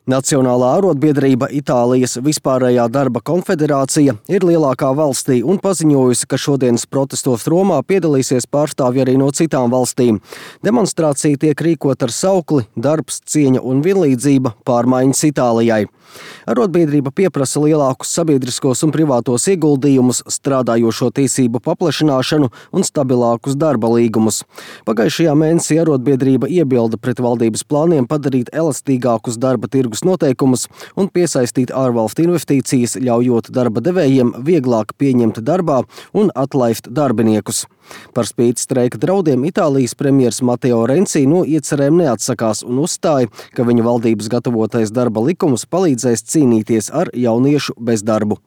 Nacionālā arotbiedrība Itālijas vispārējā darba konfederācija ir lielākā valstī un paziņojusi, ka šodienas protestos Romā piedalīsies pārstāvji arī no citām valstīm. Demonstrācija tiek rīkot ar saukli "Darbs, cieņa un vienlīdzība - pārmaiņas Itālijai". Arotbiedrība pieprasa lielākus sabiedriskos un privātos ieguldījumus, strādājošo tiesību paplašināšanu un stabilākus darba līgumus. Pagājušajā mēnesī arotbiedrība iebilda pret valdības plāniem padarīt elastīgākus darba tirgus noteikumus un piesaistīt ārvalstu investīcijas, ļaujot darba devējiem vieglāk pieņemt darbā un atlaist darbiniekus. Par spīti streika draudiem Itālijas premjers Matteo Renzi no iecerēm neatsakās un uzstāja, ka viņa valdības gatavotais darba likums palīdzēs cīnīties ar jauniešu bezdarbu.